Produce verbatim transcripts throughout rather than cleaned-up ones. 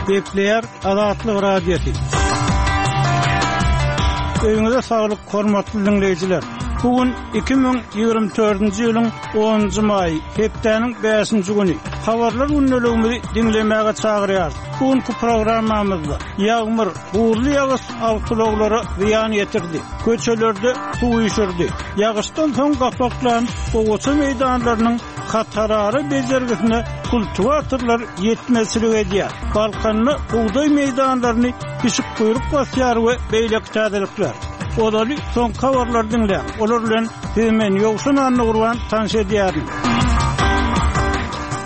Gepleýär Azatlyk Radiosy. Öýüňize saglyk, hormatly diňleýjiler. Bu gün iki müň ýigrimi dördünji ýylyň onunjy maýy, hepdäniň bäşinji güni. Habarlar gündeligimizi diňlemäge çagyrýarys. Bu günki programmamyzda ýagmyr, buzly ýagyş awtoulaglara zyýan ýetirdi. Köçelerde suw üýşürdi. Ýagyşdan soň gapaklan gowaça meýdanlarynyň hatarara bejergisine kultiwatorlar ýetmezçilik edýär. Balkanda bugdaý meýdanlaryny pişik guýruk basýar we beýleki täzelikler. Ozaly soňky habarlary diňläň. Olar bilen sizi men Ýowşan Annagurban tanyş edýärin.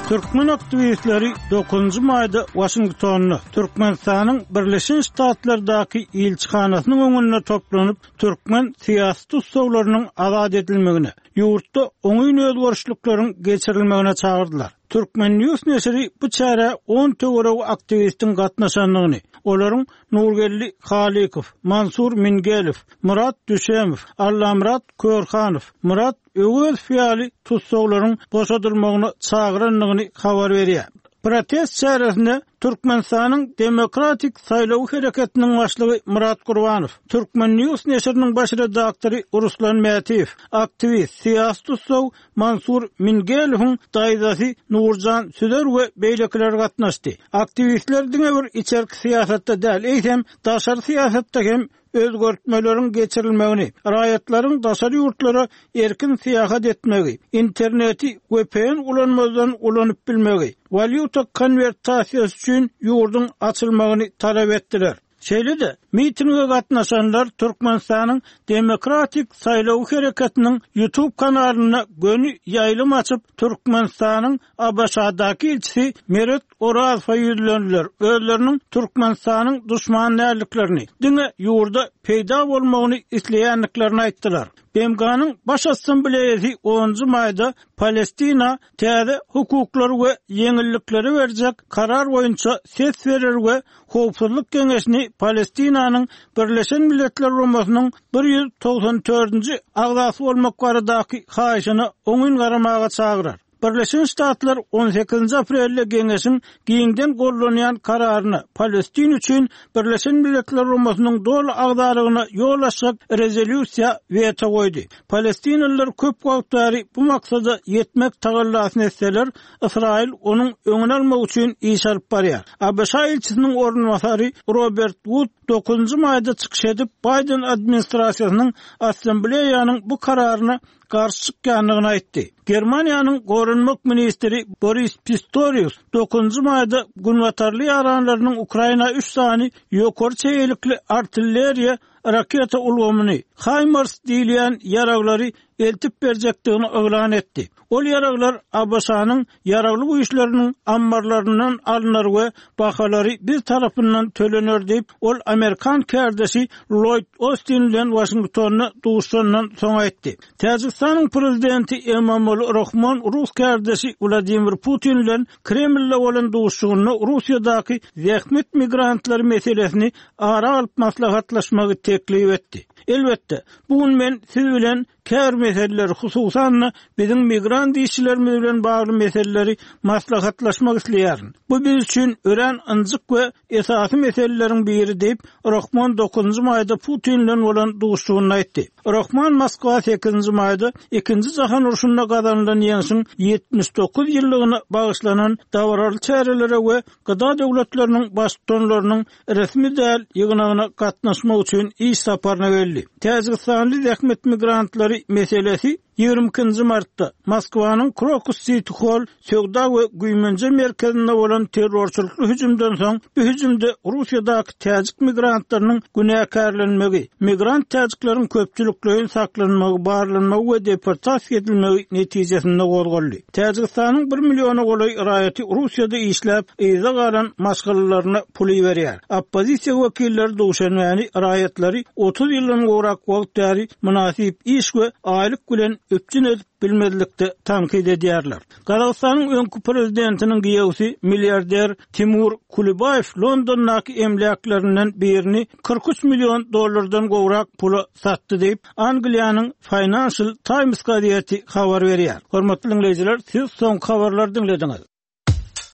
Türkmen aktiwistleri dokuzynjy maýda Waşingtonda Türkmenistanyň Birleşen Ştatlardaky ilçihanasynyň öňünde toplanyp, türkmen syýasy tussaglarynyň azat edilmegine, ýurtda oňyn özgerişlikleriň geçirilmegine çagyrdylar. Türkmen News neşiri bu çärä on töweregi aktiwistiň gatnaşandygyny, olaryň Nurgeldi Halykow, Mansur Mingelow, Murat Düşemow, Allamyrat Körhanow, Murat Öwezow ýaly tussaglaryň boşadylmagyna çagyrandygyny habar berýär. Protest çäresine Türkmenistanyň Demokratik Saýlaw Hereketiniň başlygy Murat Gurbanow, Türkmen News neşiriniň baş redaktory Ruslan Mätiýew, aktiwist, syýasy tussag Mansur Mingelowyň daýzasy Nurjan Süzer we beýlekiler gatnaşdy. Aktiwistler diňe bir içerki syýasatda däl, eýsem daşary syýasatda hem özgertmeleriň geçirilmegini, raýatlaryň daşary ýurtlara erkin syýahat etmegi, interneti V P N ulanmazdan ulanyp bilmegi, walýuta konwertasiýasy üçin ýurduň açylmagyny talap etdiler. Şeýle-de, mitinge gatnaşanlar Türkmenistanyň Demokratik Saýlaw Hereketiniň YouTube kanalynda göni ýaýlym açyp, Türkmenistanyň A B Ş-daky ilçisi Meret Orazowa ýüzlendiler. Özleriniň Türkmenistanyň düşman dälliklerini, diňe ýurda peýda bolmagyny isleýändiklerini aýtdylar. B M G-nyň Baş Assambleýasy onunjy maýda Palestina täze hukuklary we ýeňillikleri berjek karar boýunça ses berer we Howpsuzlyk Geňeşini Palestinanyň Birleşen Milletler Guramasynyň bir ýüz togsan dördünji agzasy bolmak baradaky haýyşyna oňyn garamaga çagyrar. Birleşen Ştatlar on sekizinji aprelde Geňeşiň giňden gollanýan kararyna Palestin üçin Birleşen Milletler Guramasynyň doly agzalygyna ýol açjak rezolýusiýa weto goýdy. Palestinalylar köp wagt bäri bu maksada ýetmek tagallasyny etseler, Ysraýyl onuň öňüni almak üçin iş alyp barýar. A B Ş ilçisiniň orunbasary Robert Wood dokuzynjy maýda çykyş edip, Biden administrasiýasynyň assambleýanyň bu kararyna garşy çykýandygyny aýtdy. Germaniýanyň goranmak ministri Boris Pistorius dokuzynjy maýda günbatarly ýaranlarynyň Ukraina üç sany ýokary çeýelikli artilleriýa raketa ulgamyny HIMARS diýilýän ýaraglary eltip berjekdigini yglan etdi. Ol ýaraglar A B Ş-nyň ýaragly güýçleriniň ammarlaryndan alnar we bahalary biz tarapyndan tölener diýip, ol Amerikan kärdeşi Lloyd Austin bilen Washingtonda duşandan soň aýtdy. Täjikistanyň prezidenti Emomali Rahmon Rus kärdeşi Wladimir Putin bilen Kremlde bolan duşuşygynda Russiýadaky zähmet migrantlary meselesini ara alyp maslahatlaşmagy teklip etdi. Elbetde, bu gün men siz bilen kär meseleleri, hususan-da biziň migrant işçilerimiz bilen bagly meseleleri maslahatlaşmak isleýärin. Bu biz üçin örän ynjyk we esasy meseleleriň biri diýip, Rahmon dokuzynjy maýda Putin bilen bolan duşuşygynda aýtdy. Rahmon Moskwa sekizinji maýda ikinji jahan urşunda gazanylan ýeňşiň ýetmiş dokuz ýyllygyna bagyşlanan dabaraly çärelere we gıda döwletleriniň baştutanlarynyň resmi däl ýygnagyna gatnaşmak üçin iş saparyna geldi. Täjigistanly zähmet migrantlary meselesi ýigrimi ikinji martda Moskwanyň Krokus City Hall söwda we güýmenje merkezinde bolan terrorçylykly hüjümden soň bu hüjümde Russiýadaky täjik migrantlarynyň günäkärlenmegi, migrant täjikleriň köpçülikleýin saklanmagy, barlanmagy we deportasiýa edilmegi netijesinde gozgaldy. Täjigistanyň bir milliona golaý raýaty Russiýada işläp, yza galan maşgalalaryna pul berýär. Oppozisiýa wekilleri duşenbäni raýatlary otuz ýyldan gowrak wagt bäri mynasyp iş we aýlyk bilen üpjün edip bilmezlikde tankyt edýärler. Gazagystanyň öňki prezidentiniň giýewsi milliarder Timur Kulibaýew Londondaky emläklerinden birini kyrk üç million dollardan gowrak pula satdy diýip, Angliýanyň Financial Times gazeti habar berýär. Hormatly dinleýjiler, siz soňky habarlary dinlediňiz.